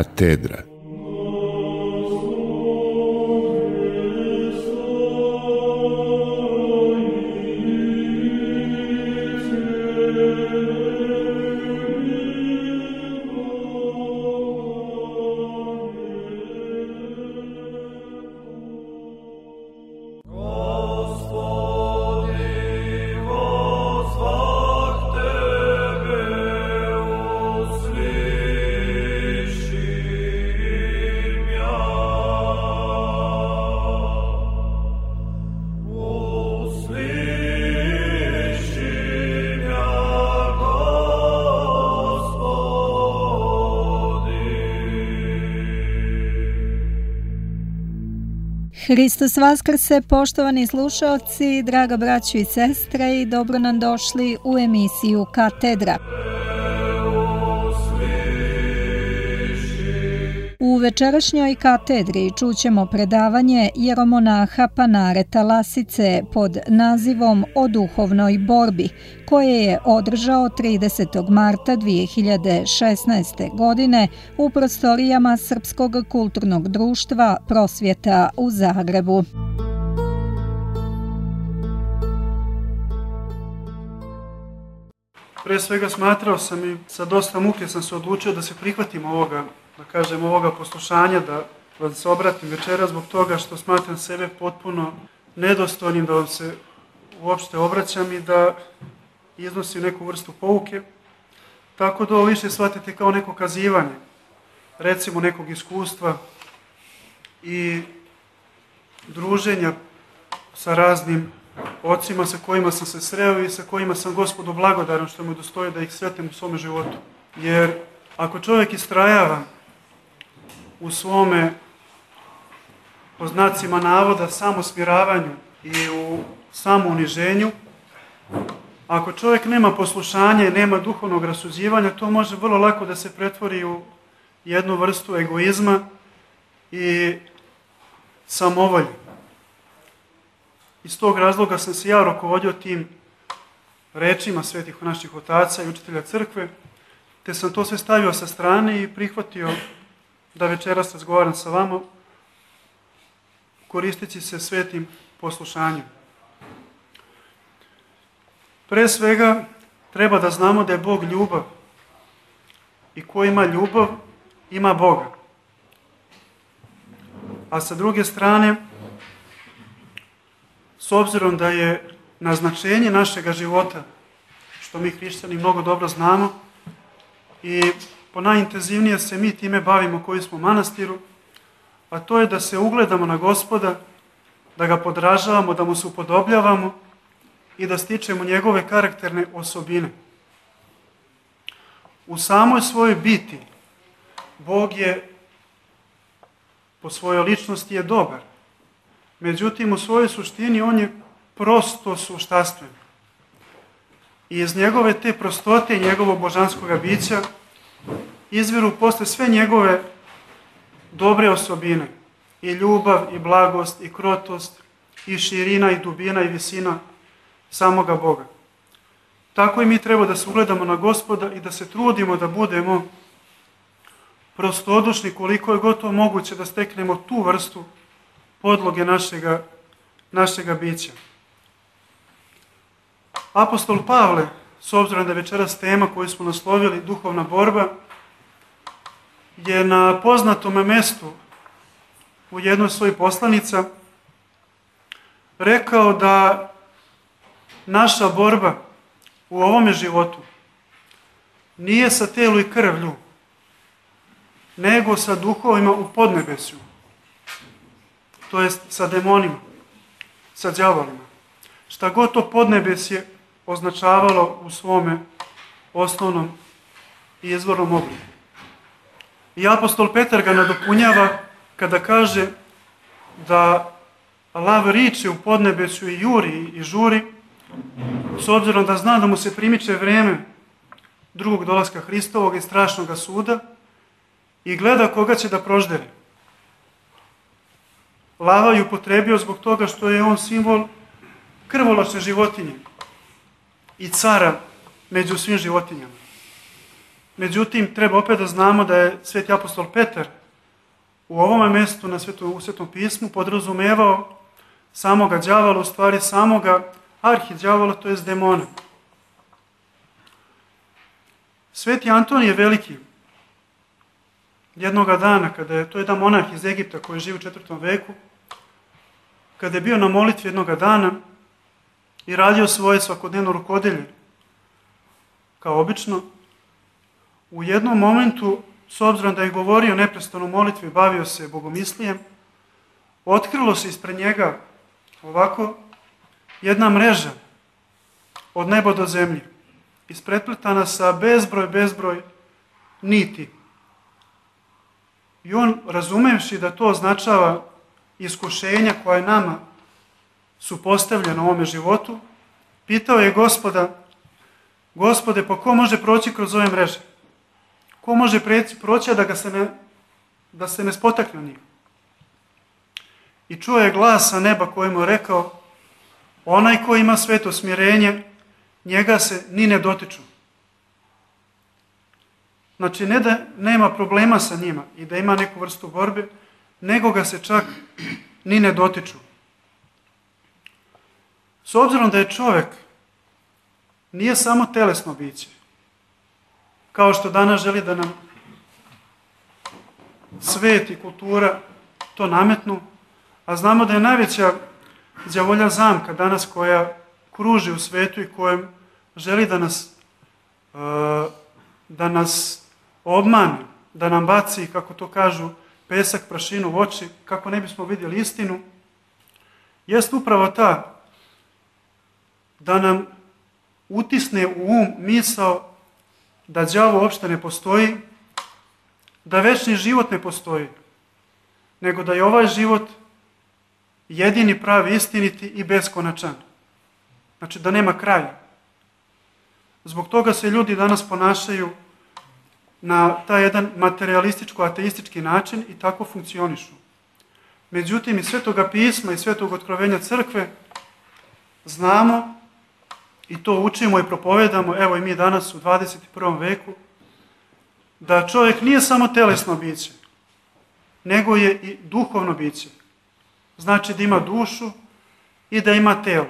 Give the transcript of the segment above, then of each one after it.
Katedra. Hristos vaskrse, poštovani slušalci, draga braćo i sestre, i dobro nam došli u emisiju Katedra. U večerašnjoj katedri čućemo predavanje jeromonaha Panareta Lasice pod nazivom O duhovnoj borbi, koje je održao 30. marta 2016. godine u prostorijama Srpskog kulturnog društva Prosvjeta u Zagrebu. Pre svega smatrao sam i sa dosta muke sam se odlučio da se prihvatim ovoga poslušanja, da vam se obratim večera zbog toga što smatram sebe potpuno nedostojnim da vam se uopšte obraćam i da iznosim neku vrstu pouke. Tako da ovo više shvatite kao neko kazivanje, recimo nekog iskustva i druženja sa raznim ocima sa kojima sam se sreo i sa kojima sam Gospodu blagodaran što mu dostoji da ih sretem u svome životu. Jer ako čovjek istrajava u svome, po znacima navoda, samosmiravanju i u samouniženju, ako čovjek nema poslušanja i nema duhovnog rasuđivanja, to može vrlo lako da se pretvori u jednu vrstu egoizma i samovolje. Iz tog razloga sam se ja rukovodio tim rečima svetih naših otaca i učitelja crkve, te sam to sve stavio sa strane i prihvatio da večeras razgovaram sa vama, koristeći se svetim poslušanjem. Pre svega, treba da znamo da je Bog ljubav i ko ima ljubav, ima Boga. A sa druge strane, s obzirom da je naznačenje našega života, što mi hrišćani mnogo dobro znamo, i ponajintenzivnije se mi time bavimo koji smo u manastiru, a to je da se ugledamo na Gospoda, da ga podražavamo, da mu se upodobljavamo i da stičemo njegove karakterne osobine. U samoj svojoj biti Bog je po svojoj ličnosti je dobar. Međutim, u svojoj suštini on je prosto suštastven. I iz njegove te prostote i njegovog božanskoga bića izviru posle sve njegove dobre osobine. I ljubav, i blagost, i krotost, i širina, i dubina, i visina samoga Boga. Tako i mi treba da se ugledamo na Gospoda i da se trudimo da budemo prostodušni koliko je gotovo moguće da steknemo tu vrstu podloge našega bića. Apostol Pavle, s obzirom da je večeras tema koju smo naslovili duhovna borba, je na poznatom mestu u jednoj svojih poslanica rekao da naša borba u ovome životu nije sa telu i krvlju, nego sa duhovima u podnebesju. To jest sa demonima, sa đavolima. Šta god to podnebesje označavalo u svome osnovnom i izvornom obliku. I apostol Petar ga nadopunjava kada kaže da lav riče u podnebesju i juri i žuri, s obzirom da zna da mu se primiče vreme drugog dolaska Hristovog i strašnog suda i gleda koga će da proždere. Lava je upotrebio zbog toga što je on simbol krvoločne životinje i cara među svim životinjama. Međutim, treba opet da znamo da je sveti apostol Petar u ovome mjestu u Svetom pismu podrazumevao samoga đavola, u stvari samoga arhidjavola, to jest demona. Sveti Antonije Veliki, jednoga dana, to je jedan monah iz Egipta koji živi u 4. veku, kada je bio na molitvi jednoga dana i radio svoje svakodnevno rukodelje, kao obično, u jednom momentu, s obzirom da je govorio neprestano u molitvi, bavio se bogomislijem, otkrilo se ispred njega ovako jedna mreža od neba do zemlje, isprepletana sa bezbroj niti. I on, razumevši da to označava iskušenja koja nama su postavljena u ovome životu, pitao je Gospode, pa ko može proći kroz ove mreže? Ko može proći, a da se ne spotakne njih? I čuo je glas sa neba koji mu je rekao, onaj ko ima sveto smirenje, njega se ni ne dotiču. Znači, ne da nema problema sa njima i da ima neku vrstu borbe, nego ga se čak ni ne dotiču. S obzirom da je čovjek nije samo telesno biće, kao što danas želi da nam svet i kultura to nametnu, a znamo da je najveća đavolja zamka danas koja kruži u svetu i kojem želi da nas obmane, da nam baci, kako to kažu, pesak, prašinu u oči, kako ne bismo vidjeli istinu, jest upravo ta da nam utisne u um misao da đavo uopšte ne postoji, da večni život ne postoji, nego da je ovaj život jedini, pravi, istiniti i beskonačan. Znači da nema kraja. Zbog toga se ljudi danas ponašaju na taj jedan materialističko-ateistički način i tako funkcionišu. Međutim, iz Svetoga pisma i Svetog otkrovenja crkve znamo i to učimo i propovedamo, evo i mi danas u 21. veku, da čovjek nije samo telesno biće, nego je i duhovno biće. Znači da ima dušu i da ima telo.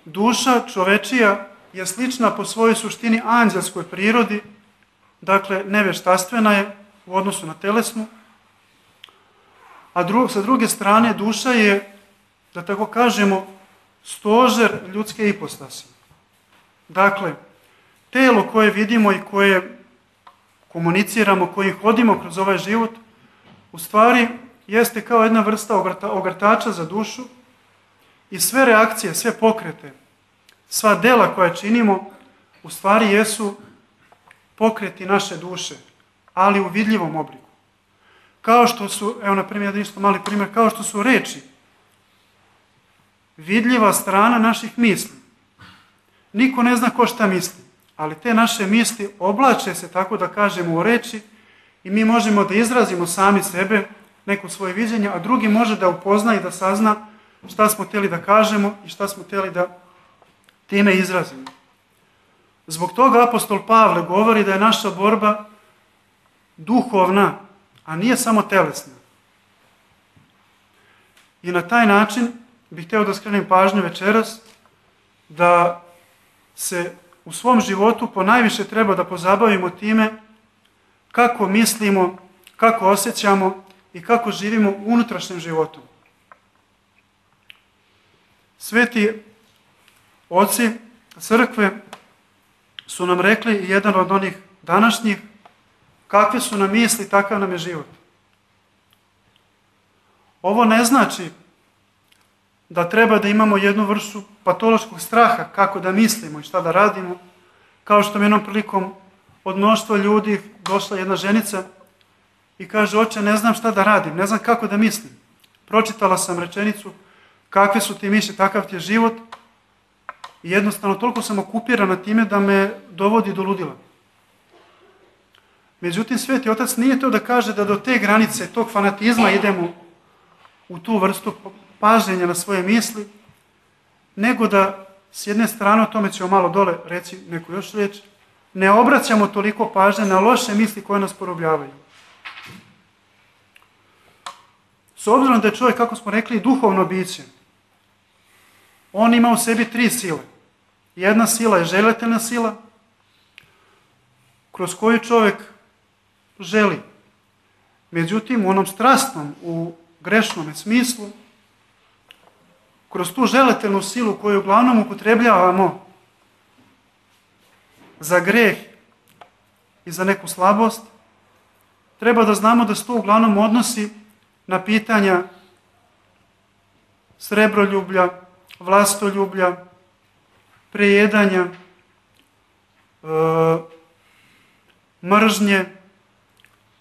Duša čovečija je slična po svojoj suštini anđelskoj prirodi, dakle neveštastvena je u odnosu na telesnu, a sa druge strane duša je, da tako kažemo, stožer ljudske ipostase. Dakle, telo koje vidimo i koje komuniciramo, kojim hodimo kroz ovaj život, u stvari jeste kao jedna vrsta ogrtača za dušu i sve reakcije, sve pokrete, sva dela koja činimo, u stvari jesu pokreti naše duše, ali u vidljivom obliku. Kao što su, evo na primjer, isto mali primjer, kao što su reči, vidljiva strana naših misli. Niko ne zna ko šta misli, ali te naše misli oblače se, tako da kažemo, u reči i mi možemo da izrazimo sami sebe, neko svoje viđenje, a drugi može da upozna i da sazna šta smo htjeli da kažemo i šta smo htjeli da time izrazimo. Zbog toga apostol Pavle govori da je naša borba duhovna, a nije samo telesna. I na taj način bih htio da skrenem pažnju večeras da se u svom životu ponajviše treba da pozabavimo time kako mislimo, kako osjećamo i kako živimo unutrašnjim životom. Sveti oci crkve su nam rekli, i jedan od onih današnjih, kakve su nam misli, takav nam je život. Ovo ne znači da treba da imamo jednu vrstu patološkog straha kako da mislimo i šta da radimo, kao što mi jednom prilikom od mnoštva ljudi došla jedna ženica i kaže, oče, ne znam šta da radim, ne znam kako da mislim. Pročitala sam rečenicu, kakve su ti misli, takav ti je život, i jednostavno toliko sam okupirana time da me dovodi do ludila. Međutim, Sveti Otac nije to da kaže da do te granice, tog fanatizma idemo u tu vrstu pažnjenja na svoje misli, nego da s jedne strane, o tome ćemo malo dole reći neku još riječ, ne obraćamo toliko pažnje na loše misli koje nas porobljavaju. S obzirom da je čovjek, kako smo rekli, duhovno biće, on ima u sebi 3 sile. Jedna sila je željetelna sila, kroz koju čovjek želi. Međutim, u onom strastnom, u grešnom smislu, kroz tu željetelnu silu koju uglavnom upotrebljavamo za greh i za neku slabost, treba da znamo da se to uglavnom odnosi na pitanja srebroljublja, vlastoljublja, prejedanja, mržnje,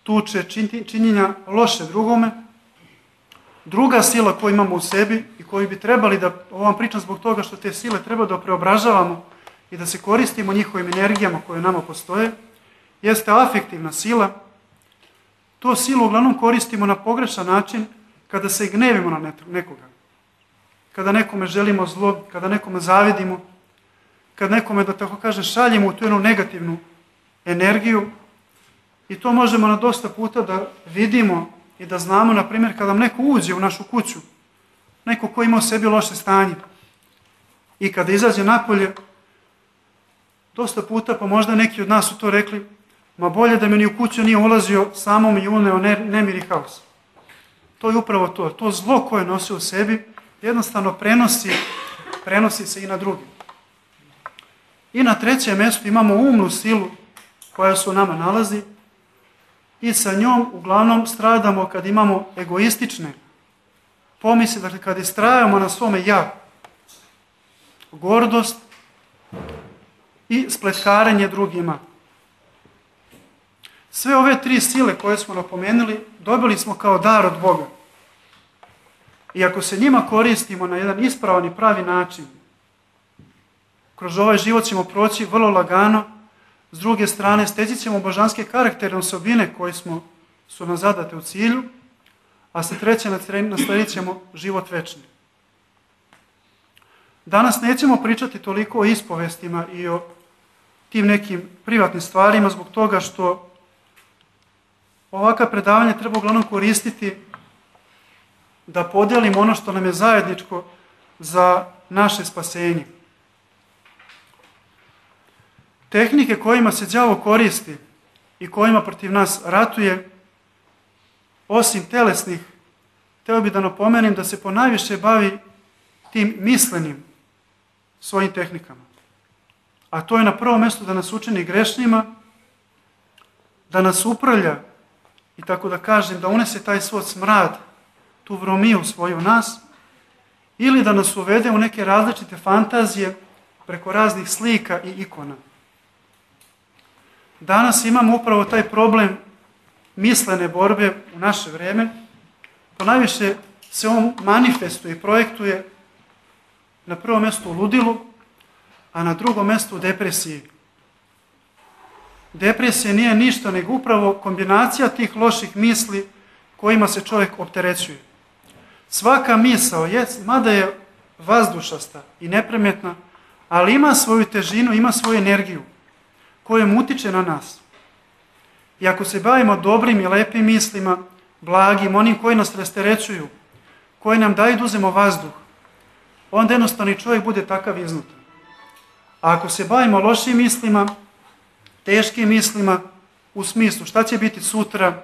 tuče, činjenja loše drugome. Druga sila koju imamo u sebi i koju bi trebali da, ovo vam pričam zbog toga što te sile treba da preobražavamo i da se koristimo njihovim energijama koje nama postoje, jeste afektivna sila. To silu uglavnom koristimo na pogrešan način kada se gnevimo na nekoga. Kada nekome želimo zlo, kada nekome zavidimo, kada nekome, da tako kažem, šaljemo u tu jednu negativnu energiju. I to možemo na dosta puta da vidimo i da znamo, na primjer, kada nam neko uđe u našu kuću, neko ko ima u sebi loše stanje, i kada izađe napolje, dosta puta, pa možda neki od nas su to rekli, ma bolje da me ni u kuću nije ulazio, samo mi uneo nemir i haos. To je upravo to. To zlo koje nosi u sebi jednostavno prenosi se i na drugi. I na trećem mjestu imamo umnu silu koja se u nama nalazi i sa njom uglavnom stradamo kad imamo egoistične pomisli, dakle kad istrajamo na svome ja, gordost i spletkarenje drugima. Sve ove 3 sile koje smo napomenuli dobili smo kao dar od Boga. I ako se njima koristimo na jedan ispravan i pravi način, kroz ovaj život ćemo proći vrlo lagano. S druge strane, steći ćemo božanske karakterne osobine koje su nam zadate u cilju, a sa treće nasledit ćemo život večni. Danas nećemo pričati toliko o ispovestima i o tim nekim privatnim stvarima zbog toga što ovakva predavanja treba uglavnom koristiti da podijelimo ono što nam je zajedničko za naše spasenje. Tehnike kojima se đavo koristi i kojima protiv nas ratuje, osim telesnih, htio bih da napomenem da se ponajviše bavi tim mislenim svojim tehnikama. A to je na prvom mjestu da nas učini grešnjima, da nas uprlja i tako da kažem, da unese taj svoj smrad, tu vromiju svoju u nas, ili da nas uvede u neke različite fantazije preko raznih slika i ikona. Danas imamo upravo taj problem mislene borbe u naše vrijeme. Ponajviše se on manifestuje i projektuje na prvom mjestu u ludilu, a na drugom mjestu u depresiji. Depresija nije ništa nego upravo kombinacija tih loših misli kojima se čovjek opterećuje. Svaka misao, mada je vazdušasta i nepremetna, ali ima svoju težinu, ima svoju energiju kojom utiče na nas. I ako se bavimo dobrim i lepim mislima, blagim, onim koji nas rasterećuju, koji nam daju da uzemo vazduh, onda jednostavno čovjek bude takav iznutra. A ako se bavimo lošim mislima, teškim mislima, u smislu šta će biti sutra,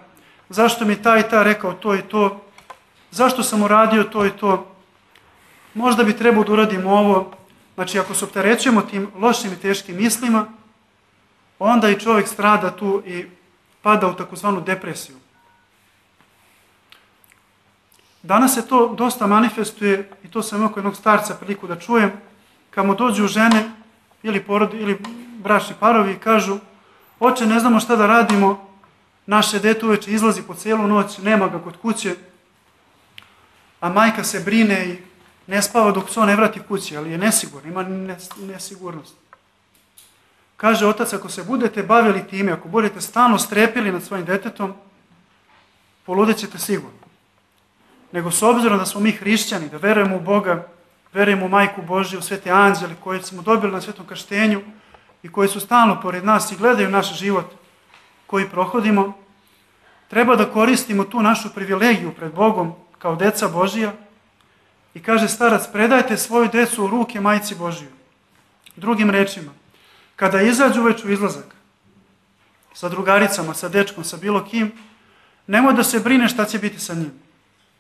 zašto mi taj i ta rekao to i to, zašto sam uradio to i to, možda bi trebao da uradim ovo. Znači, ako se opterećujemo tim lošim i teškim mislima, onda i čovjek strada tu i pada u takozvanu depresiju. Danas se to dosta manifestuje i to sam imao kod jednog starca priliku da čujem, kad mu dođu žene ili bračni parovi i kažu: oče, ne znamo šta da radimo, naše dete uveče izlazi po cijelu noć, nema ga kod kuće, a majka se brine i ne spava dok se on ne vrati kući, ali je nesigurno, ima nesigurnost. Kaže otac, ako se budete bavili time, ako budete stalno strepili nad svojim detetom, poludet ćete sigurno. Nego s obzirom da smo mi hrišćani, da verujemo u Boga, verujemo u Majku Božiju, u svete anđele koje smo dobili na svetom krštenju i koji su stalno pored nas i gledaju naš život koji prohodimo, treba da koristimo tu našu privilegiju pred Bogom kao deca Božija i kaže starac, predajte svoju decu u ruke Majci Božiju. Drugim rečima, kada izađu već u izlazak sa drugaricama, sa dečkom, sa bilo kim, nemoj da se brine šta će biti sa njim,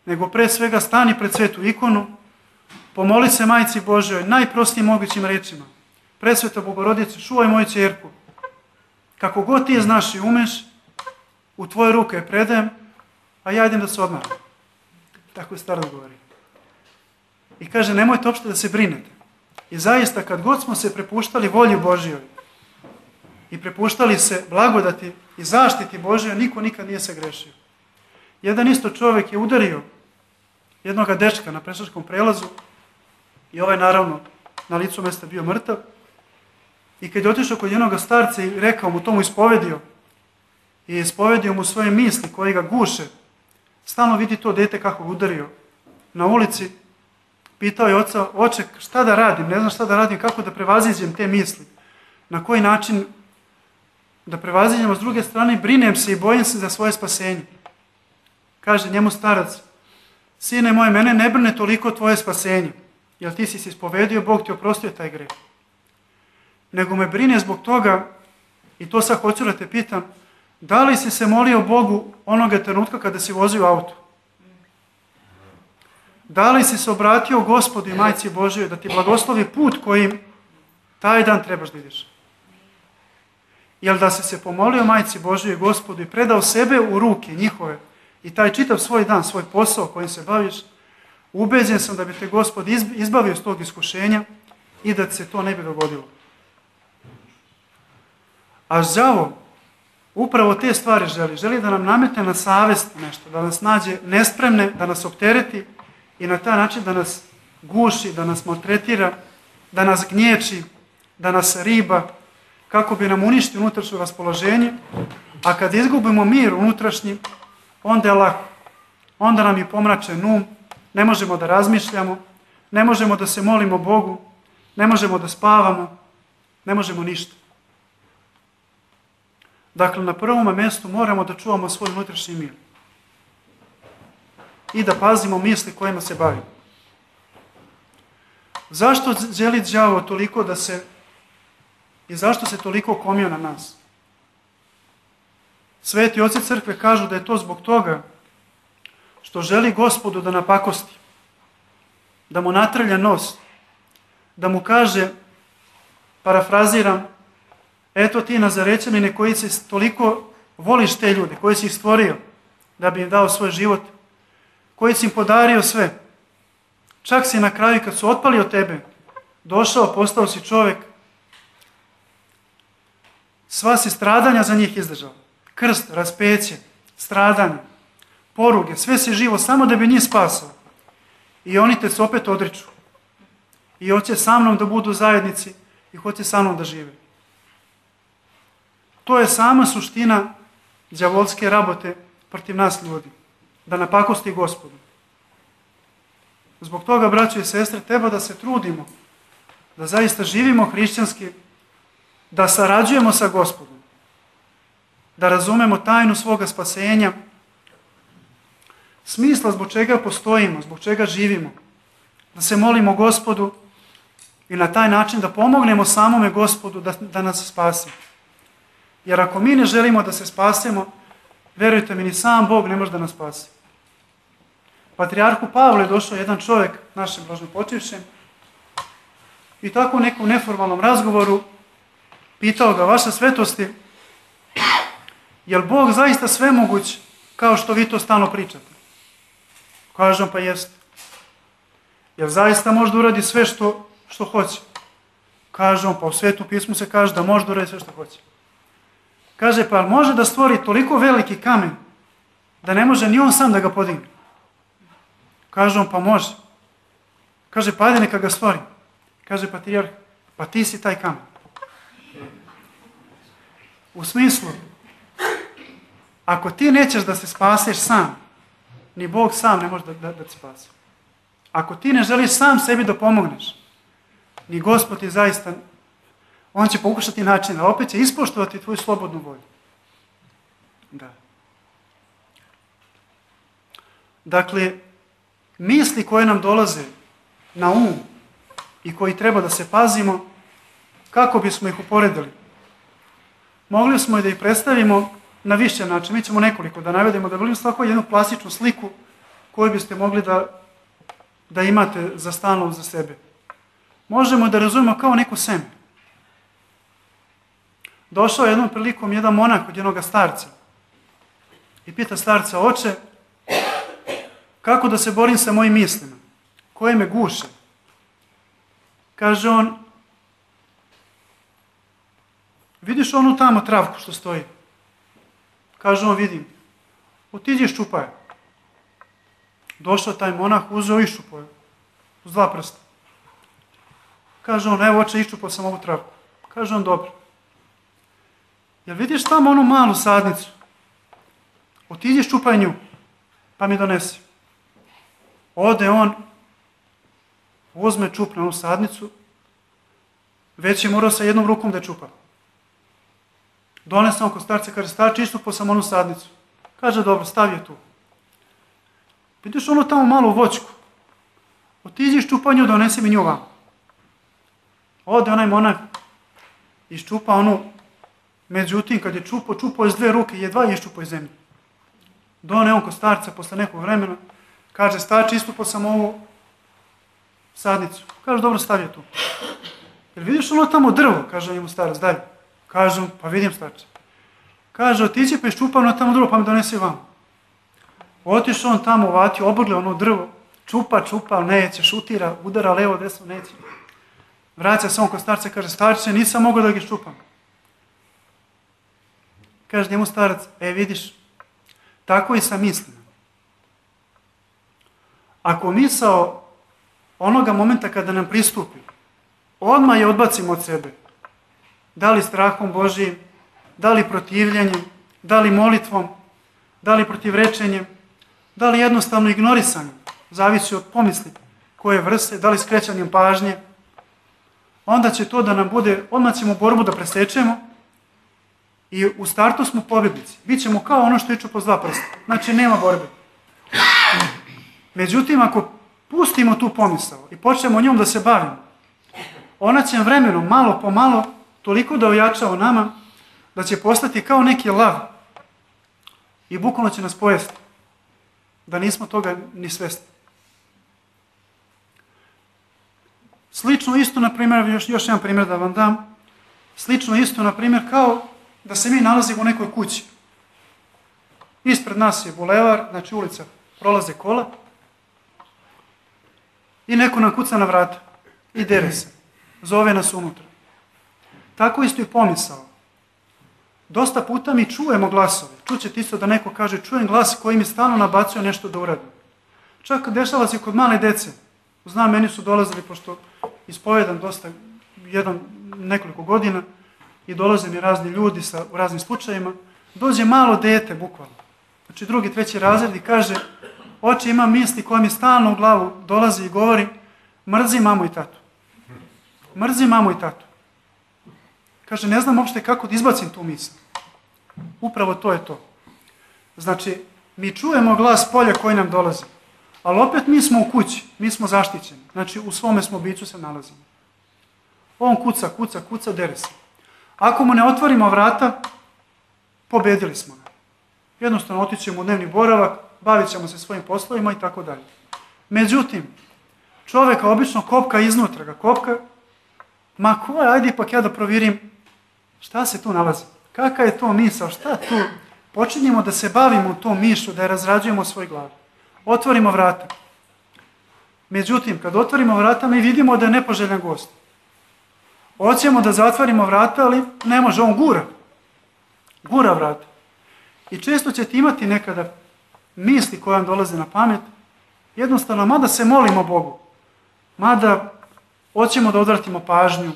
nego pre svega stani pred svetu ikonu, pomoli se Majci Božjoj najprostijim mogućim rečima. Presveta Bogorodice, čuvaj moju ćerku. Kako god ti znaš i umeš, u tvoje ruke je predajem, a ja idem da se odmaram. Tako je starac govori. I kaže, nemojte uopšte da se brinete. I zaista, kad god smo se prepuštali volji Božjoj i prepuštali se blagodati i zaštiti Božjoj, niko nikad nije se grešio. Jedan isto čovjek je udario jednoga dečka na pešačkom prelazu i ovaj naravno na licu mesta bio mrtav. I kad je otišao kod jednoga starca i rekao mu, to mu ispovedio i ispovedio mu svoje misli koje ga guše, stalno vidi to dete kako ga udario na ulici, pitao je oca, oče, šta da radim, ne znam šta da radim, kako da prevaziđem te misli, na koji način da prevaziđem, a s druge strane brinem se i bojim se za svoje spasenje. Kaže njemu starac, sine moj, mene ne brine toliko tvoje spasenje, jer ti si se ispovedio, Bog ti oprostio taj greh. Nego me brine zbog toga, i to sad hoću da te pitam, da li si se molio Bogu onoga trenutka kada si vozio auto? Da li si se obratio Gospodu i Majci Božjoj da ti blagoslovi put kojim taj dan trebaš da ideš? Jel da si se pomolio Majci Božjoj i Gospodu i predao sebe u ruke njihove i taj čitav svoj dan, svoj posao kojim se baviš, ubeđen sam da bi te Gospod izbavio s tog iskušenja i da se to ne bi dogodilo. A đavo upravo te stvari želi da nam nametne na savest nešto, da nas nađe nespremne, da nas optereti i na taj način da nas guši, da nas maltretira, da nas gnječi, da nas riba, kako bi nam uništio unutrašnje raspoloženje, a kad izgubimo mir unutrašnji, onda je lako. Onda nam je pomračen um, ne možemo da razmišljamo, ne možemo da se molimo Bogu, ne možemo da spavamo, ne možemo ništa. Dakle, na prvom mjestu moramo da čuvamo svoj unutrašnji mir i da pazimo misli kojima se bavimo. Zašto želi đavo toliko da se i zašto se toliko komio na nas? Sveti oci crkve kažu da je to zbog toga što želi Gospodu da napakosti, da mu natrlja nos, da mu kaže, parafraziram, eto ti Nazarećanine koji si toliko voliš te ljude, koji si ih stvorio da bi im dao svoj život, koji si im podario sve. Čak si na kraju kad su otpali od tebe, došao, postao si čovjek, sva si stradanja za njih izdržao. Krst, raspeće, stradanje, poruge, sve si živo samo da bi njih spasao. I oni te se opet odriču. I hoće sa mnom da budu u zajednici i hoće sa mnom da žive. To je sama suština đavolske rabote protiv nas ljudi. Da napakosti Gospodu. Zbog toga, braćo i sestre, treba da se trudimo, da zaista živimo hrišćanski, da sarađujemo sa Gospodom, da razumemo tajnu svoga spasenja, smisla zbog čega postojimo, zbog čega živimo, da se molimo Gospodu i na taj način da pomognemo samome Gospodu da nas spasi. Jer ako mi ne želimo da se spasemo, verujte mi, ni sam Bog ne može da nas spasi. Patrijarhu Pavlu je došao jedan čovjek, našem blažnopočivšem, i tako u nekom neformalnom razgovoru pitao ga, vaša svetosti, je li Bog zaista svemoguć kao što vi to stalno pričate? Kaže on, pa jest. Jel zaista može da uradi sve što hoće? Kaže on, pa u Svetom pismu se kaže da može da uradi sve što hoće. Kaže, pa može da stvori toliko veliki kamen da ne može ni on sam da ga podigne? Kaže on, pa može. Kaže, pa ajde neka ga stvori. Kaže patrijarh, pa ti si taj kamen. U smislu, ako ti nećeš da se spaseš sam, ni Bog sam ne može da te spasi. Ako ti ne želiš sam sebi da pomogneš, ni Gospod ti zaista, On će pokušati način, a opet će ispoštovati tvoju slobodnu volju. Da. Dakle, misli koje nam dolaze na um i koji treba da se pazimo, kako bismo ih uporedili? Mogli smo i da ih predstavimo na više način. Mi ćemo nekoliko da navedemo, da volim svako jednu plastičnu sliku koju biste mogli da imate za stalno za sebe. Možemo da razumemo kao neko seme. Došao je jednom prilikom jedan monak od jednog starca i pita starca: oče, kako da se borim sa mojim mislima, koje me guše? Kaže on: vidiš onu tamo travku što stoji? Kaže on: vidim. Otiđi i ščupaj je. Došao taj monah, uzeo i iščupao je uz 2 prsta. Kaže on: evo oče, iščupao sam ovu travku. Kaže on: dobro. Jel vidiš tamo onu malu sadnicu? Otiđi i ščupaj nju, pa mi donesi. Ode on, uzme, čupne onu sadnicu, već je morao sa jednom rukom da je čupa. Donese on kod starca, kaže: starče, iščupao sam onu sadnicu. Kaže: dobro, stavi je tu. Vidiš onu tamo malu voćku? Otiđi i ščupaj nju, donesi mi nju vam. Ode onaj monak, iščupa onu, međutim, kad je čupao iz 2 ruke, jedva je iščupao iz zemlje. Done on kod starca posle nekog vremena, kaže: starče, iščupao sam ovu sadnicu. Kaže: dobro, stavi je tu. Jel vidiš ono tamo drvo? Kaže njemu starac: dalje. Kaže: pa vidim, starče. Kaže: otići pa iščupa ono tamo drvo, pa mi donesi vam. Otišao on tamo, uvatio, obrgle ono drvo, čupa, ali neće, šutira, udara levo, desno, neće. Vraća se on kod starca, kaže: starče, nisam mogao da ga iščupam. Kaže njemu starac: vidiš, tako i sa mislima. Ako misao onoga momenta kada nam pristupi, odmah je odbacimo od sebe. Da li strahom Božijim, da li protivljenjem, da li molitvom, da li protivrečenjem, da li jednostavno ignorisanjem, zavisi od pomisli koje vrste, da li skrećanjem pažnje, onda će to da nam bude, odmah ćemo borbu da presečemo i u startu smo pobjednici. Bićemo kao ono što iču po 2 prsta. Znači, nema borbe. Međutim, ako pustimo tu pomisao i počnemo njom da se bavimo, ona će vremenom, malo po malo, toliko da ojača u nama, da će postati kao neki lav i bukvalno će nas pojesti, da nismo toga ni svesni. Slično isto, na primjer, još jedan primjer da vam dam, slično isto, na primjer, kao da se mi nalazimo u nekoj kući. Ispred nas je bulevar, znači ulica, prolaze kola i neko nam kuca na vrata i dere se, zove nas unutra. Tako isto i pomisao. Dosta puta mi čujemo glasove. Čućete isto da neko kaže: čujem glas koji mi stalno nabacuje nešto da uradim. Čak dešava se kod male dece. Znam, meni su dolazili, pošto ispovedam dosta, nekoliko godina, i dolaze mi razni ljudi u raznim slučajima, dođe malo dete, bukvalno. Znači 2., 3. razred i kaže: oče, imam misli koja mi stalno u glavu dolazi i govori: mrzi mamu i tatu. Mrzi mamu i tatu. Kaže: ne znam uopšte kako da izbacim tu misl. Upravo to je to. Znači, mi čujemo glas polja koji nam dolazi, ali opet mi smo u kući, mi smo zaštićeni. Znači, u svome smo biću se nalazimo. On kuca, dere se. Ako mu ne otvorimo vrata, pobedili smo ga. Jednostavno otićemo u dnevni boravak, bavit ćemo se svojim poslovima i tako dalje. Međutim, čoveka obično kopka iznutra ga kopka, ma ko, ajde ipak ja da provjerim šta se tu nalazi. Kaka je to misao, šta tu? Počinjemo da se bavimo tom mišlju, da je razrađujemo u svoj glavi. Otvorimo vrata. Međutim, kad otvorimo vrata, mi vidimo da je nepoželjan gost. Hoćemo da zatvorimo vrata, ali ne može, on gura vrata. I često ćete imati nekada misli koje vam dolaze na pamet, jednostavno, mada se molimo Bogu, mada hoćemo da odvratimo pažnju,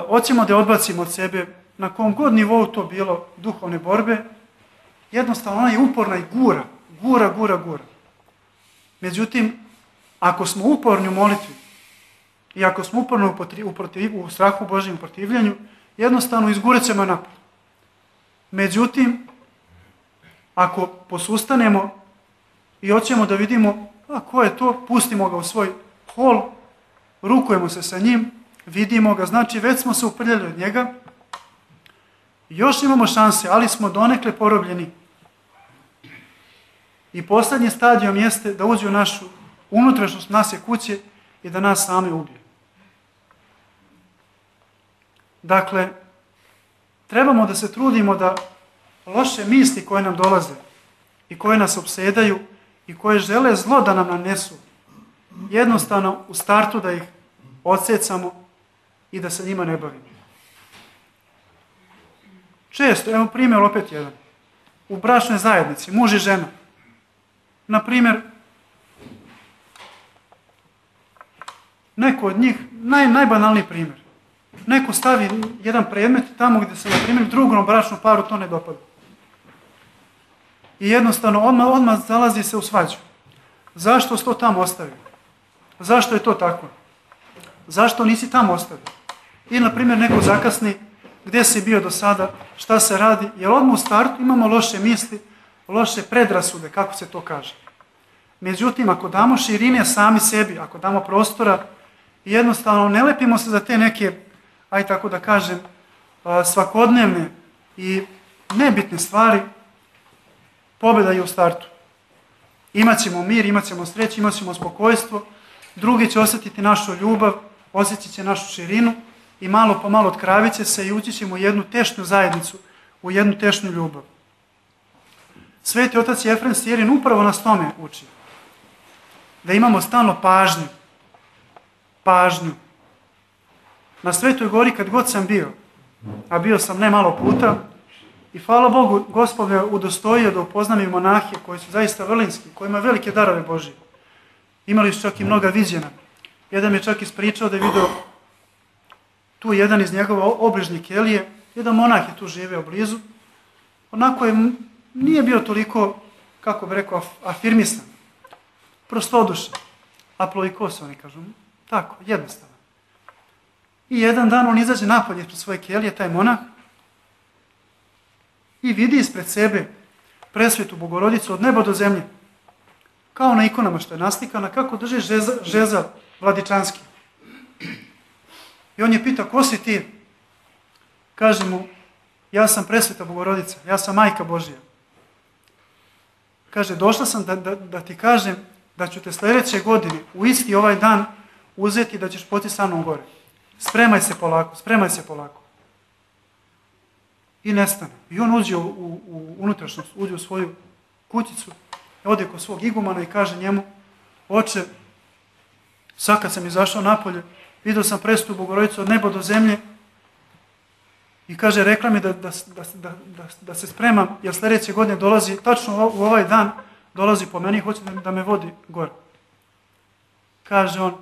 hoćemo da je odbacimo od sebe, na kom god nivou to bilo duhovne borbe, jednostavno ona je uporna i gura. Međutim, ako smo uporni u molitvi, i ako smo uporno u strahu Božjem protivljenju, jednostavno izguret ćemo napad. Međutim, ako posustanemo i hoćemo da vidimo ko je to, pustimo ga u svoj hol, rukujemo se sa njim, vidimo ga, znači već smo se uprljali od njega, još imamo šanse, ali smo donekle porobljeni. I posljednji stadijom jeste da uđe u našu unutrašnjost naše kuće i da nas same ubije. Dakle, trebamo da se trudimo da loše misli koje nam dolaze i koje nas opsedaju i koje žele zlo da nam nanesu, jednostavno u startu da ih odsecamo i da se njima ne bavimo. Često, evo primjer opet jedan, u bračnoj zajednici, muž i žena, na primjer, neko od njih, najbanalniji primjer, neko stavi jedan predmet tamo gdje se, na primjer, drugom bračnom paru to ne dopada. I jednostavno odmah zalazi se u svađu. Zašto si to tamo ostavio? Zašto je to tako? Zašto nisi tamo ostavio? Ili, na primjer, neko zakasni, gdje si bio do sada, šta se radi, jer odmah u startu imamo loše misli, loše predrasude, kako se to kaže. Međutim, ako damo širine sami sebi, ako damo prostora, jednostavno ne lepimo se za te neke, aj tako da kažem, svakodnevne i nebitne stvari, pobjeda je u startu. Imaćemo mir, imaćemo sreću, imaćemo spokojstvo, drugi će osjetiti našu ljubav, osjetit će našu širinu i malo po malo otkravit će se i ući ćemo u jednu tešnju zajednicu, u jednu tešnju ljubav. Sveti otac Jefrem Sirin upravo nas tome uči. Da imamo stalno pažnju. Pažnju. Na Svetoj gori kad god sam bio, a bio sam ne malo puta, i hvala Bogu, Gospod je udostojio da upoznam i monahe koji su zaista vrlinski, koji imaju velike darove Božije. Imali su čak i mnoga viđena. Jedan mi je čak ispričao da je vidio tu jedan iz njegove obližnje kelije, jedan monah je tu živeo blizu, onako je, nije bio toliko, kako bi rekao, afirmisan, prostodušan, aploikos, oni kažu, tako, jednostavno. I jedan dan on izađe napolje ispred svoje kelije, taj monah, i vidi ispred sebe presvetu Bogorodicu od neba do zemlje, kao na ikonama što je naslikana, kako drži žezal vladičanski. I on je pitao, ko si ti? Kaže mu, ja sam presveta Bogorodica, ja sam majka Božija. Kaže, došla sam da ti kažem da ću te sljedeće godine u isti ovaj dan uzeti da ćeš poti sa mnom gore. Spremaj se polako, spremaj se polako. I nestane. I on uđe u unutrašnjost, uđe u svoju kućicu, ode kod svog igumana i kaže njemu, oče, sad kad sam izašao napolje, vidio sam presvetu Bogorodicu od neba do zemlje i kaže, rekla mi da se spremam, jer sljedeće godine dolazi, tačno u ovaj dan, dolazi po meni i hoće da me vodi gore. Kaže on,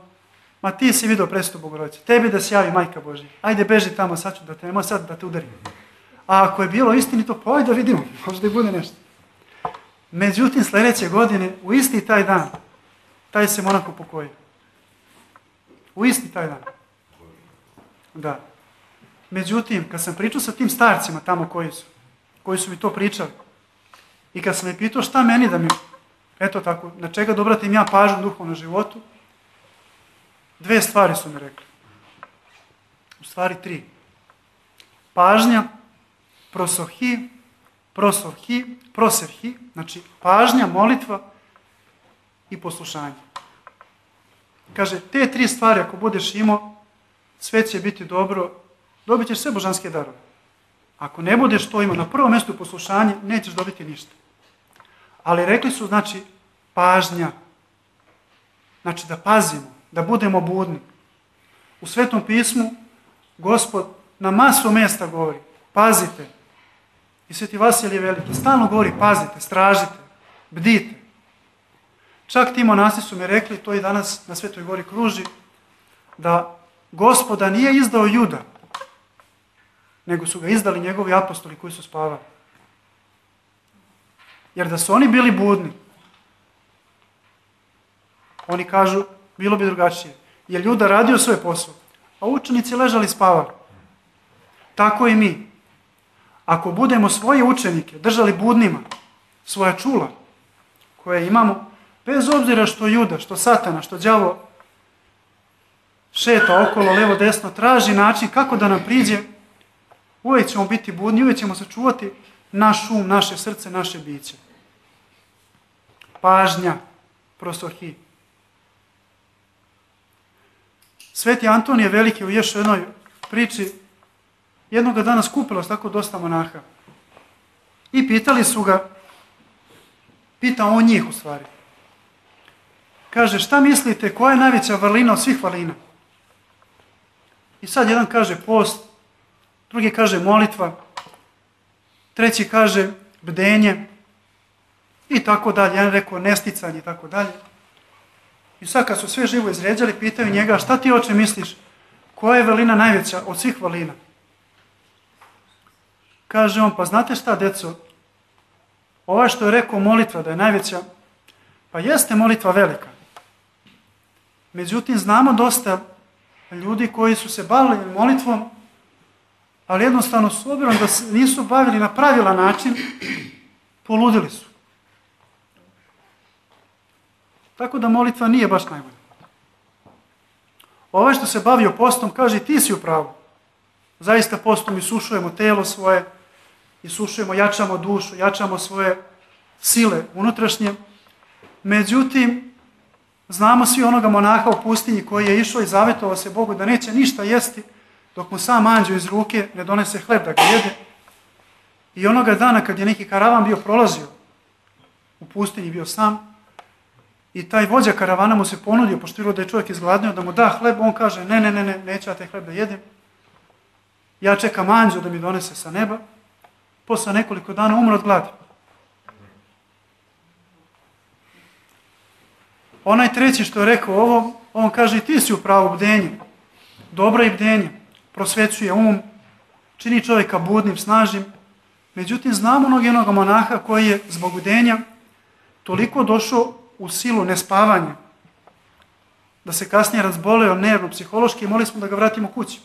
ma ti si vidio presvetu Bogorodicu, tebi da se javi majka Božja, ajde beži tamo, sad ću da te, nemoj sad da te udarim. A ako je bilo istinito, pa ajde da vidimo, možda i bude nešto. Međutim, sljedeće godine, u isti taj dan, taj se monak upokojio. U isti taj dan. Da. Međutim, kad sam pričao sa tim starcima tamo koji su mi to pričali, i kad sam me pitao šta meni da mi, eto tako, na čega da obratim ja pažnju duhovnom životu, 2 stvari su mi rekli. U stvari 3. Pažnja, proserhi, znači pažnja, molitva i poslušanje. Kaže, te 3 stvari ako budeš imao, sve će biti dobro, dobit ćeš sve božanske darove. Ako ne budeš to imao na prvom mjestu poslušanje, nećeš dobiti ništa. Ali rekli su, znači, pažnja. Znači da pazimo, da budemo budni. U Svetom pismu Gospod na masu mjesta govori, pazite. I Sveti Vasilije Veliki stalno govori, pazite, stražite, bdite. Čak ti monasi su mi rekli, to i danas na Svetoj gori kruži, da Gospoda nije izdao Juda, nego su ga izdali njegovi apostoli koji su spavali. Jer da su oni bili budni, oni kažu, bilo bi drugačije. jer Juda radio svoj posao, a učenici ležali spavali. Tako i mi. Ako budemo svoje učenike držali budnima, svoja čula koje imamo, bez obzira što Juda, što Satana, što đavo šeta okolo, levo, desno, traži način kako da nam priđe, uvijek ćemo biti budni, uvijek ćemo sačuvati naš um, naše srce, naše biće. Pažnja, prosohi. Sveti Antonije Veliki u još jednoj priči jednoga dana skupilo se tako dosta monaha. I pitali su ga, pita on njih u stvari. Kaže, šta mislite, koja je najveća vrlina od svih vrlina? I sad jedan kaže post, drugi kaže molitva, treći kaže bdenje i tako dalje. Jedan rekao nesticanje i tako dalje. I sad kad su sve živo izređali, pitaju njega, šta ti oče misliš, koja je vrlina najveća od svih vrlina? Kaže on, pa znate šta, deco, ovaj što je rekao molitva da je najveća, pa jeste molitva velika. Međutim, znamo dosta ljudi koji su se bavili molitvom, ali jednostavno s obzirom da se nisu bavili na pravilan način, poludili su. Tako da molitva nije baš najbolja. Ovaj što se bavio postom kaže, ti si u pravu. Zaista postom isušujemo telo svoje, isušujemo, jačamo dušu, jačamo svoje sile unutrašnje. Međutim, znamo svi onoga monaha u pustinji koji je išao i zavetovao se Bogu da neće ništa jesti dok mu sam anđeo iz ruke ne donese hleb da ga jede. I onoga dana kad je neki karavan bio prolazio, u pustinji bio sam, i taj vođa karavana mu se ponudio, pošto je da je čovjek izgladnio, da mu da hleb, on kaže, ne, neću ja taj hleb da jedem. Ja čekam anđeo da mi donese sa neba. Posle nekoliko dana umro od gladi. Onaj treći što je rekao ovo, on kaže, ti si u pravu, bdenje. Dobro i bdenje. Prosvećuje um, čini čovjeka budnim, snažnim. Međutim, znamo onog monaha koji je zbog bdenja toliko došao u silu nespavanja, da se kasnije razboleo nervno, psihološki i molili smo da ga vratimo kući.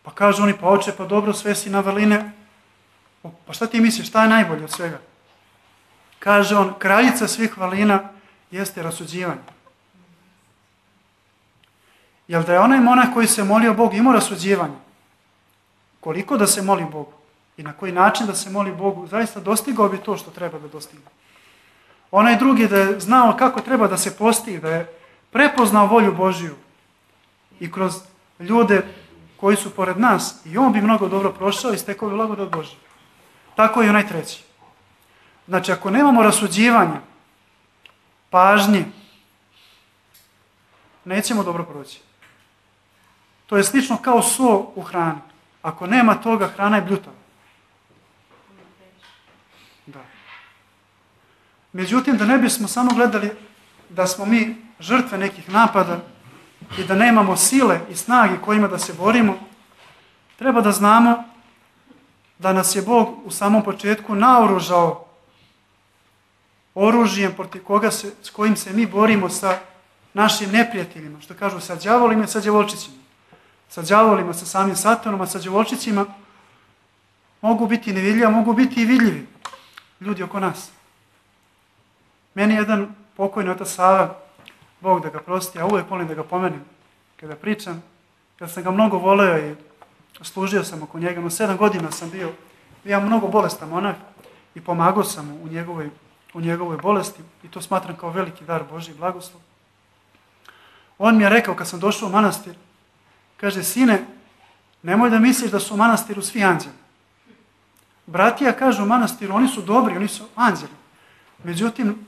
Pa kažu oni, pa oče, pa dobro, sve si na vrline. Pa šta ti misliš, šta je najbolje od svega? Kaže on, kraljica svih vrlina jeste rasuđivanje. Jel da je onaj monah koji se molio Bogu imao rasuđivanje? Koliko da se moli Bogu i na koji način da se moli Bogu, zaista dostigao bi to što treba da dostigne. Onaj drugi da je znao kako treba da se posti, da je prepoznao volju Božiju i kroz ljude koji su pored nas, i on bi mnogo dobro prošao i stekao bi blagodat Božju. Tako i onaj treći. Znači, ako nemamo rasuđivanja, pažnje, nećemo dobro proći. To je slično kao so u hrani. Ako nema toga, hrana je bljutava. Da. Međutim, da ne bismo samo gledali da smo mi žrtve nekih napada i da nemamo sile i snage kojima da se borimo, treba da znamo da nas je Bog u samom početku naoružao oružjem s kojim se mi borimo sa našim neprijateljima, što kažu sa đavolima i sa đavolčićima. Sa đavolima, sa samim Satanom, a sa đavolčićima mogu biti nevidljivi, mogu biti i vidljivi ljudi oko nas. Meni jedan pokojni otac Sava, Bog da ga prosti, ja uvijek volim da ga pomenem kada pričam, jer sam ga mnogo voleo i služio sam oko njega, no 7 godina sam bio mnogo bolestan monah i pomagao sam mu u njegovoj bolesti i to smatram kao veliki dar Božji blagoslov. On mi je rekao kad sam došao u manastir, kaže, sine, nemoj da misliš da su u manastiru svi anđeli. Bratija kažu u manastiru, oni su dobri, oni su anđeli. Međutim,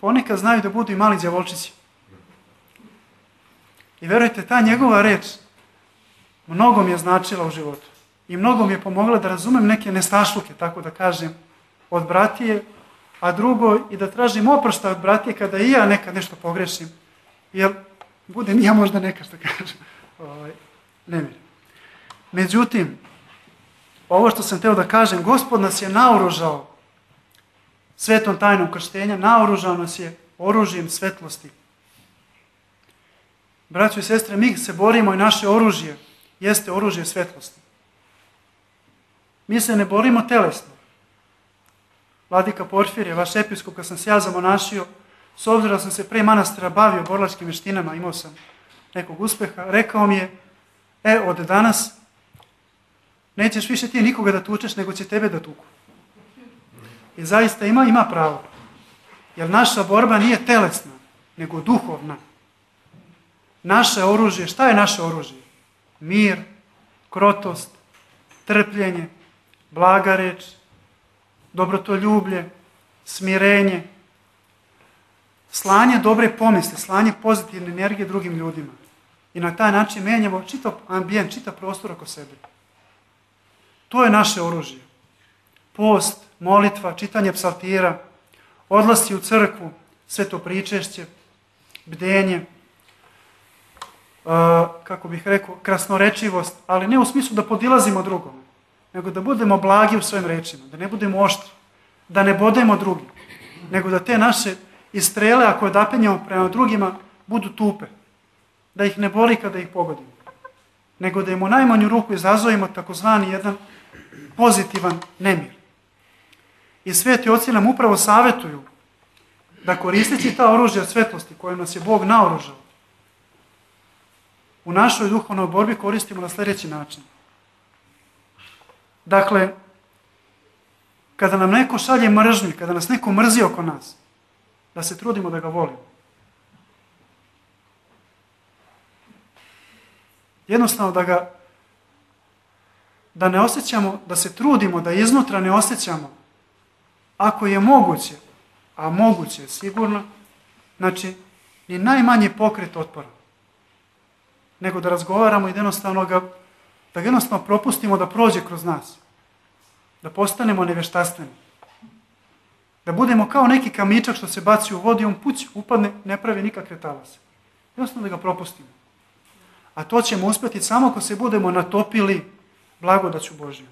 ponekad znaju da budu i mali đavolčići. I verujte, ta njegova reč mnogo mi je značila u životu. I mnogo mi je pomogla da razumem neke nestašluke, tako da kažem, od bratije, a drugo i da tražim oproštaj od bratije kada i ja nekad nešto pogrešim. Jer budem i ja možda neka što kažem. Nemir. Međutim, ovo što sam teo da kažem, Gospod nas je naoružao svetom tajnom krštenja, naoružao nas je oružjem svetlosti. Braćo i sestre, mi se borimo i naše oružje jeste oružje svetlosti. Mi se ne borimo telesno. Vladika Porfirije, vaš episkop, kad sam se ja zamonašio, s obzirom da sam se pre manastira bavio borilačkim veštinama, imao sam nekog uspeha, rekao mi je, od danas nećeš više ti nikoga da tučeš, nego će tebe da tuku. I zaista ima pravo. Jer naša borba nije telesna, nego duhovna. Naše oružje, šta je naše oružje? Mir, krotost, trpljenje, blaga reč, dobrotoljublje, smirenje, slanje dobre pomisli, slanje pozitivne energije drugim ljudima. I na taj način menjamo čitav ambijent, čitav prostor oko sebe. To je naše oružje. Post, molitva, čitanje psaltira, odlasci u crkvu, sveto pričešće, bdenje, kako bih rekao, krasnorečivost, ali ne u smislu da podilazimo drugome, nego da budemo blagi u svojim rečima, da ne budemo oštri, da ne bodemo drugi, nego da te naše istrele, ako odapenjamo prema drugima, budu tupe, da ih ne boli kada ih pogodimo, nego da im u najmanju ruku izazovemo takozvani jedan pozitivan nemir. I sveti oci nam upravo savjetuju da koristeći ta oružja svetlosti koje nas je Bog naoružao, u našoj duhovnoj borbi koristimo na sljedeći način. Dakle, kada nam neko šalje mržnju, kada nas neko mrzi oko nas, da se trudimo da ga volimo. Jednostavno da ne osjećamo, da se trudimo, da iznutra ne osjećamo, ako je moguće, a moguće je sigurno, znači, ni najmanji pokret otpora, nego da razgovaramo i da ga jednostavno propustimo da prođe kroz nas, da postanemo nevještastveni, da budemo kao neki kamičak što se baci u vodu i on puć, upadne, ne pravi nikakve talase. Jednostavno da ga propustimo. A to ćemo uspjeti samo ako se budemo natopili blagodaću Božju.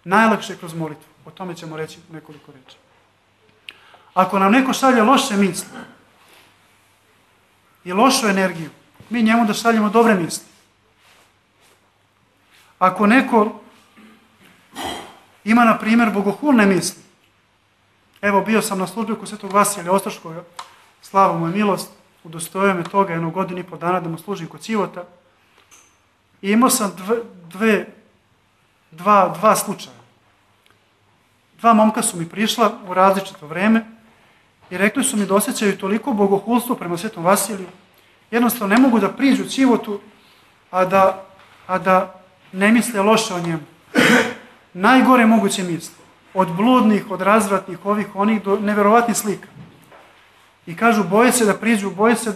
Najlakše kroz molitvu. O tome ćemo reći nekoliko reči. Ako nam neko šalje loše misli i lošu energiju, mi njemu da šaljemo dobre misli. Ako neko ima, na primjer, bogohulne misli, evo, bio sam na službi kod Svetog Vasilija Ostroškoga, slava mu je milost, udostojio me toga 1,5 godinu dana da mu služim kod Civota, i imao sam dva slučaja. 2 momka su mi prišla u različito vreme i rekli su mi da osjećaju toliko bogohulstvo prema Svetom Vasiliju, jednostavno ne mogu da priđu Civotu, a da ne misle loše o njemu. Najgore moguće misle. Od bludnih, od razvratnih, onih do neverovatnih slika. I kažu, boje se da priđu, boje se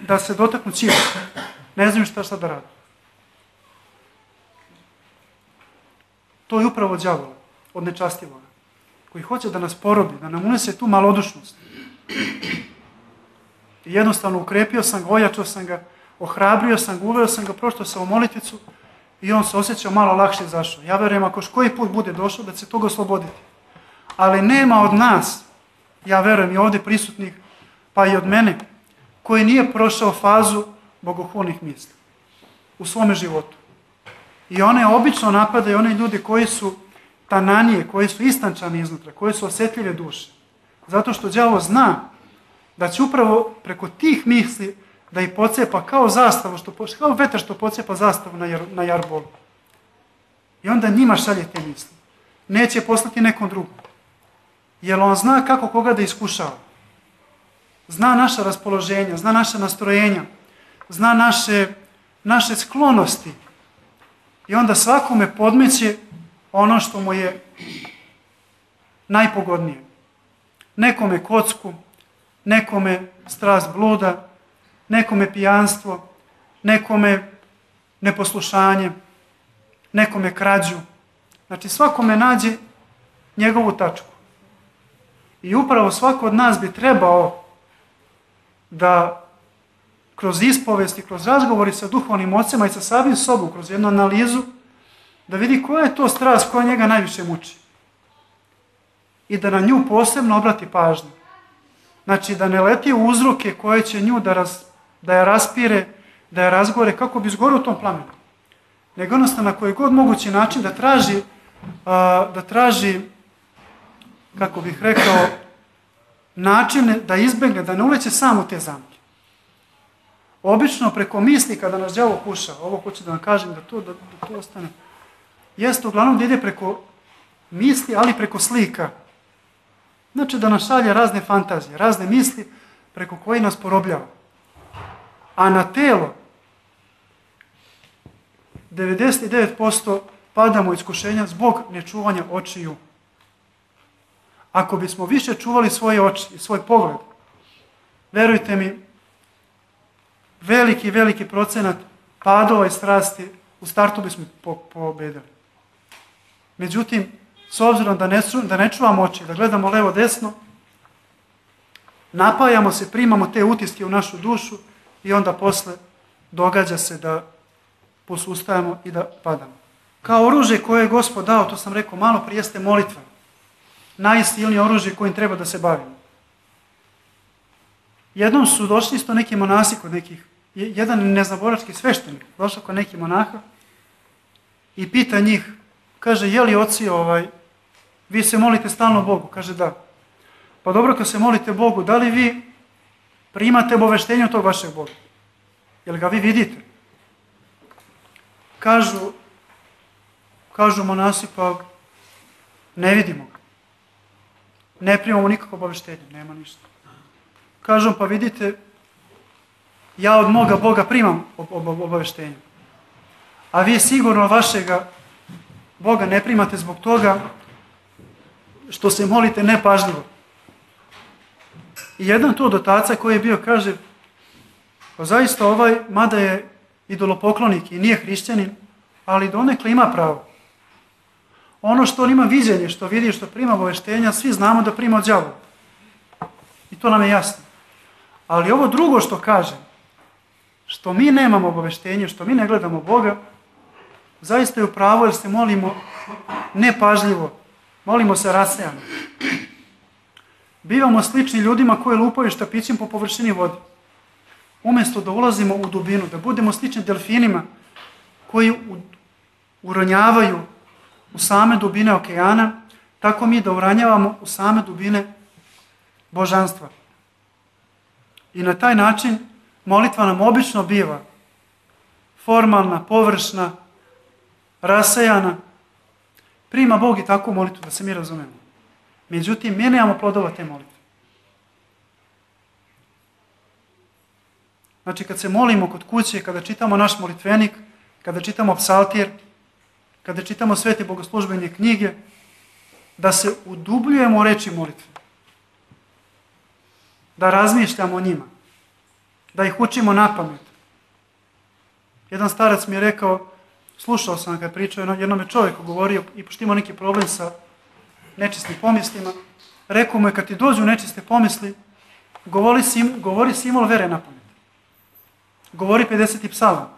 da se dotaknu Civota. Ne znaju šta da rade. To je upravo đavola, od nečastivoga, koji hoće da nas porobi, da nam unese tu malodušnost. I jednostavno ukrepio sam ga, ojačao sam ga, ohrabrio sam ga, uveo sam ga, prošto sam u molitvicu i on se osjećao malo lakše izašao. Ja verujem, ako koji put bude došao, da će se toga osloboditi. Ali nema od nas, ja verujem i ovdje prisutnih, pa i od mene, koji nije prošao fazu bogohulnih misli u svome životu. I one obično napadaju one ljudi koji su tananije, koji su istančani iznutra, koji su osjetljive duše. Zato što đavo zna da će upravo preko tih misli da ih pocepa kao zastavu, kao vetar što pocepa zastavu na jarbolu. I onda njima šalje te misli. Neće poslati nekom drugom. Jer on zna kako koga da iskušava. Zna naša raspoloženja, zna naša nastrojenja, zna naše sklonosti. I onda svakome podmeće ono što mu je najpogodnije. Nekome kocku, nekome strast bluda, nekome pijanstvo, nekome neposlušanje, nekome krađu. Znači svakome nađe njegovu tačku. I upravo svako od nas bi trebao da kroz ispovesti, kroz razgovori sa duhovnim ocema i sa samim sobom, kroz jednu analizu, da vidi koja je to strast koja njega najviše muči. I da na nju posebno obrati pažnju. Znači da ne leti u uzroke koje će nju da je raspire, da je razgore kako bi izgorio u tom plamenu. Nego jednostavno na koji god mogući način da traži, kako bih rekao, načine da izbegne, da ne uleće sam u te zamke. Obično preko misli kada nas đavo kuša, ovo hoću da vam kažem da to ostane, jeste uglavnom da ide preko misli, ali preko slika. Znači da nas šalje razne fantazije, razne misli preko koji nas porobljava. A na telo 99% padamo u iskušenja zbog nečuvanja očiju. Ako bismo više čuvali svoje oči i svoj pogled, verujte mi, veliki procenat padova i strasti u startu bismo pobedili. Međutim, s obzirom da ne čuvamo oči, da gledamo levo desno, napajamo se, primamo te utiske u našu dušu i onda posle događa se da posustajemo i da padamo. Kao oružje koje je Gospod dao, to sam rekao malo prije, jeste molitva. Najsilnije oružje kojim treba da se bavimo. Jednom su došli isto neki monasi kod nekih, jedan neznaborački sveštenik došao kod nekih monaha i pita njih, kaže, je li oci, vi se molite stalno Bogu? Kaže, da. Pa dobro, kad se molite Bogu, da li vi primate obaveštenje od tog vašeg Boga? Jel ga vi vidite? Kažu monasi, pa ne vidimo ga. Ne primamo nikakvo obaveštenje, nema ništa. Kažu, pa vidite, ja od moga Boga primam obaveštenje. A vi sigurno vašega Boga ne primate zbog toga što se molite nepažljivo. I jedan tu od otaca koji je bio kaže, pa zaista mada je idolopoklonik i nije hrišćanin, ali donekle ima pravo. Ono što on ima viđenje, što vidi, što prima obaveštenja, svi znamo da prima od đavola. I to nam je jasno. Ali ovo drugo što kaže, što mi nemamo obaveštenje, što mi ne gledamo Boga, zaista je u pravu jer se molimo nepažljivo, molimo se rasejano. Bivamo slični ljudima koji lupaju štapićem po površini vode. Umjesto da ulazimo u dubinu, da budemo slični delfinima koji uranjavaju u same dubine okeana, tako mi da uranjavamo u same dubine božanstva. I na taj način molitva nam obično biva formalna, površna, rasejana. Prima Bog i takvu molitvu, da se mi razumemo. Međutim, mi nemamo plodova te molitve. Znači, kad se molimo kod kuće, kada čitamo naš molitvenik, kada čitamo psaltir, kada čitamo svete bogoslužbene knjige, da se udubljujemo u reči molitve. Da razmišljamo o njima. Da ih učimo na pamet. Jedan starac mi je rekao, slušao sam kada je pričao, jednom je čovjeku govorio i pošto imao neki problem sa nečistim pomislima, rekao mu je kad ti dođu nečiste pomisli, govori simbol vere na pamet. Govori 50. psalam.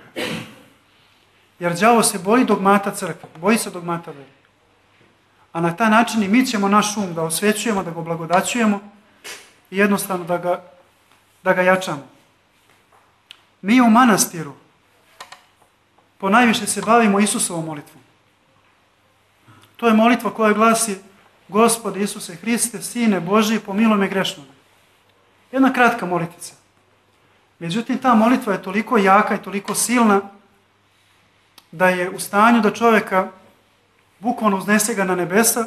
Jer đavo se boji dogmata crkve, boji se dogmata vere. A na taj način i mi ćemo naš um da osvećujemo, da ga blagodaćujemo i jednostavno da ga jačamo. Mi u manastiru ponajviše se bavimo Isusovom molitvom. To je molitva koja glasi Gospode Isuse Hriste, Sine Božji, pomiluj me grešnog. Jedna kratka molitvica. Međutim, ta molitva je toliko jaka i toliko silna da je u stanju da čovjeka bukvalno uznese ga na nebesa,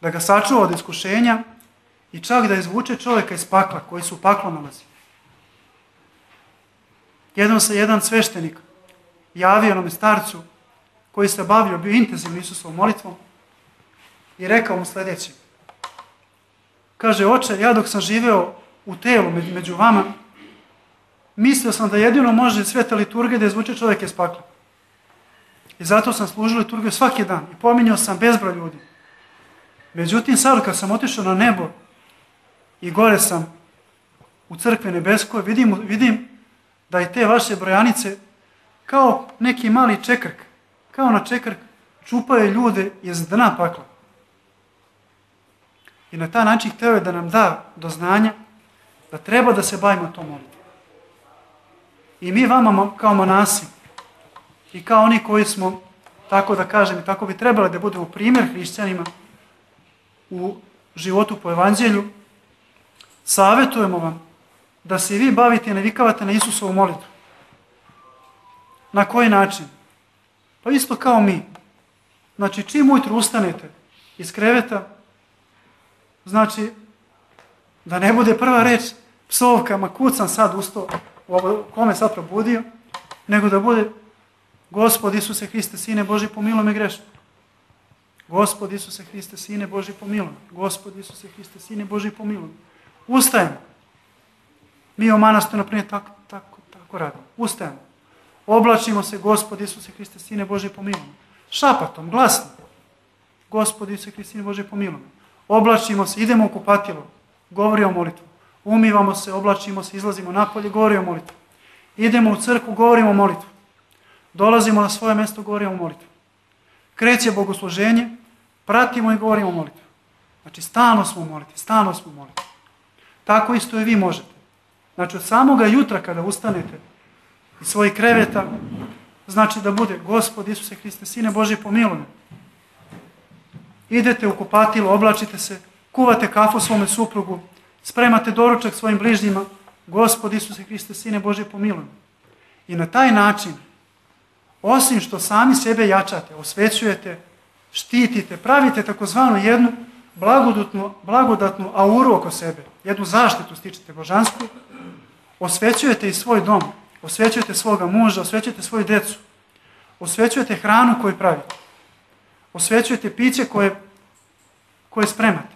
da ga sačuva od iskušenja i čak da izvuče čovjeka iz pakla koji su u paklu nalazi. Jednom se jedan sveštenik javio onome starcu koji se bavio, bio intenzivno Isusovom molitvom i rekao mu sljedeće. Kaže, oče, ja dok sam živeo u telu među vama, mislio sam da jedino može sveta liturgija da izvuče čovjeka iz pakla. I zato sam služio liturgiju svaki dan i pominjao sam bezbroj ljudi. Međutim, sad kad sam otišao na nebo i gore sam u crkvi nebeskoj, vidim da i te vaše brojanice kao neki mali čekrk, kao na čekrk čupaju ljude iz dna pakla. I na taj način hteo je da nam da do znanja da treba da se bavimo tom molitvom. I mi vama kao monasi i kao oni koji smo, tako da kažem, i tako bi trebali da budemo primjer hrišćanima u životu po evanđelju, savjetujemo vam da se i vi bavite i navikavate na Isusovu molitvu. Na koji način? Pa isto kao mi. Znači, čim ujutru ustanete iz kreveta, znači, da ne bude prva reč psovka, ma kud sam sad ustao, kome sad probudio, nego da bude Gospod Isuse Hriste, Sine Božji, pomiluj me grešno. Gospod Isuse Hriste, Sine Božji, pomiluj me. Gospod Isuse Hriste, Sine Božji, pomiluj me. Ustajemo. Mi u manastiru, na primjer, tako radimo. Ustajemo. Oblačimo se, Gospod Isuse Hriste, Sine Božji, pomiluj me. Šapatom, glasno. Gospod Isuse Hriste, Sine Božji, pomiluj me. Oblačimo se, idemo u kupatilo, govorimo molitvu. Umivamo se, oblačimo se, izlazimo napolje, govorimo molitvu. Idemo u crkvu, govorimo molitvu. Dolazimo na svoje mjesto, govorimo molitvu. Kreće bogosluženje, pratimo i govorimo molitvu. Znači, stalno smo u molitvi, stalno smo u molitvi. Tako isto i vi možete. Znači, od samoga jutra kada ustanete iz svojih kreveta, znači da bude Gospod Isuse Hriste, Sine Božji, pomiluj me. Idete u kupatilo, oblačite se, kuvate kafu svome suprugu, spremate doručak svojim bližnjima, Gospod Isuse Hriste, Sine Božji, pomiluj me. I na taj način, osim što sami sebe jačate, osvećujete, štitite, pravite takozvanu jednu blagodatnu auru oko sebe, jednu zaštitu stičete božansku, osvećujete i svoj dom, osvećujete svoga muža, osvećujete svoju djecu, osvećujete hranu koju pravite, osvećujete piće koje spremate.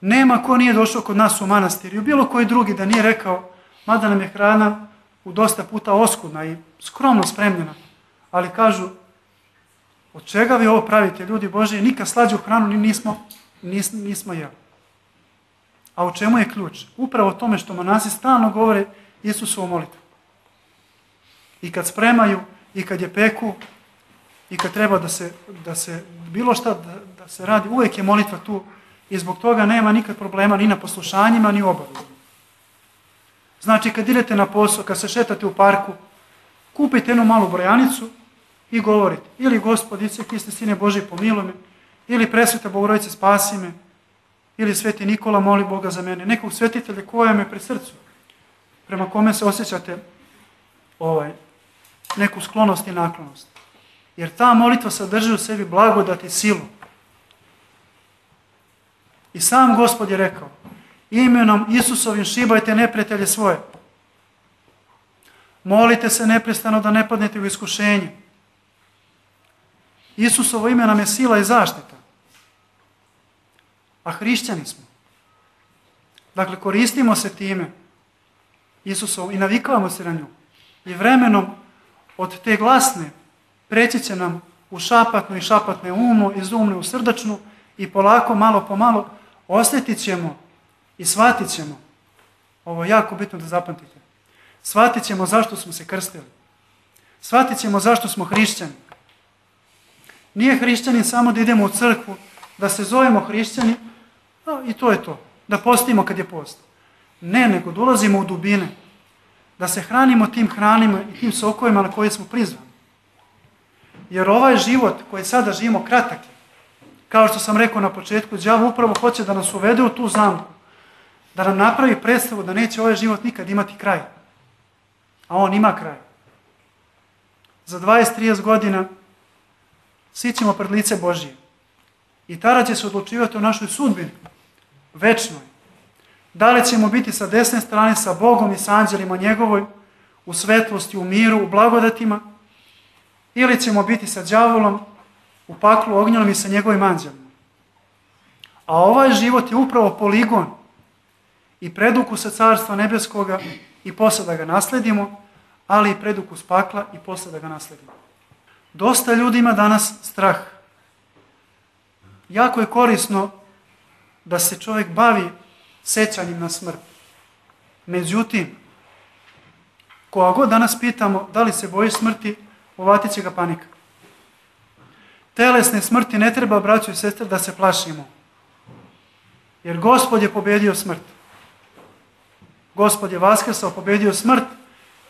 Nema ko nije došao kod nas u manastir i bilo koji drugi da nije rekao, mada nam je hrana u dosta puta oskudna i skromno spremljena, ali kažu, od čega vi ovo pravite, ljudi Božji, nikad slađu hranu nismo jeli. A u čemu je ključ? Upravo o tome što monasi stalno govore Isusovu molitvu. I kad spremaju, i kad je peku, i kad treba da se bilo šta da se radi, uvijek je molitva tu i zbog toga nema nikad problema ni na poslušanjima, ni u obavezama. Znači, kad idete na posao, kad se šetate u parku, kupite jednu malu brojanicu i govorite, ili Gospod Isuse Hriste, Sine Božji, pomiluj me, ili Presveta Bogorodice, spasi me, ili Sveti Nikola, moli Boga za mene, nekog svetitelja koja me pri srcu, prema kome se osjećate neku sklonost i naklonost. Jer ta molitva sadrži u sebi blagodat i silu. I sam Gospod je rekao, imenom Isusovim šibajte neprijatelje svoje. Molite se neprestano da ne padnete u iskušenje. Isusovo ime nam je sila i zaštita. A hrišćani smo. Dakle, koristimo se time Isusovom i navikavamo se na nju. I vremenom od te glasne preći će nam u šapatnu i šapatne umu, iz umne u srdačnu i polako, malo po malo osjetit ćemo i shvatit ćemo. Ovo je jako bitno da zapamtite. Shvatit ćemo zašto smo se krstili. Shvatit ćemo zašto smo hrišćani. Nije hrišćani samo da idemo u crkvu, da se zovemo hrišćani i to je to. Da postimo kad je post. Ne, nego da ulazimo u dubine. Da se hranimo tim hranima i tim sokovima na koje smo prizvani. Jer ovaj život koji sada živimo kratak je. Kao što sam rekao na početku, đavo upravo hoće da nas uvede u tu zamku. Da nam napravi predstavu da neće ovaj život nikad imati kraj. A on ima kraj. Za 20-30 godina svi ćemo pred lice Božije. I tada će se odlučivati o našoj sudbini, večnoj. Da li ćemo biti sa desne strane sa Bogom i sa anđelima njegovoj, u svetlosti, u miru, u blagodatima, ili ćemo biti sa đavolom, u paklu ognjenom i sa njegovim anđelima. A ovaj život je upravo poligon i predukus sa Carstva nebeskoga i posle da ga nasledimo, ali i predukus pakla i posle da ga nasledimo. Dosta ljudi ima danas strah. Jako je korisno da se čovjek bavi sećanjem na smrt. Međutim, koga god danas pitamo da li se boji smrti, uvatit će ga panika. Telesne smrti ne treba, braćo i sestre, da se plašimo. Jer Gospod je pobedio smrt. Gospod je vaskrsao, pobedio smrt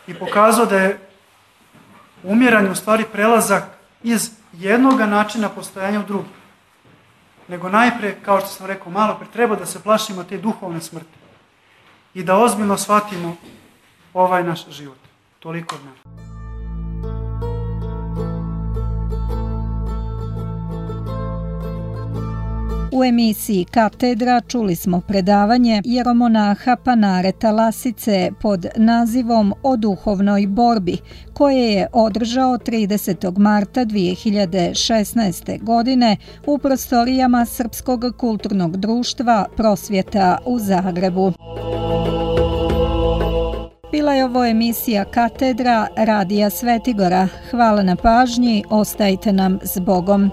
i pokazao da je umiranje u stvari prelazak iz jednog načina postojanja u drugi. Nego najpre, kao što sam rekao malo pre, treba da se plašimo te duhovne smrti i da ozbiljno shvatimo ovaj naš život. Toliko od nas. U emisiji Katedra čuli smo predavanje jeromonaha Panareta Lasice pod nazivom O duhovnoj borbi, koje je održao 30. marta 2016. godine u prostorijama Srpskog kulturnog društva Prosvjeta u Zagrebu. Bila je ovo emisija Katedra Radija Svetigora. Hvala na pažnji, ostajte nam s Bogom.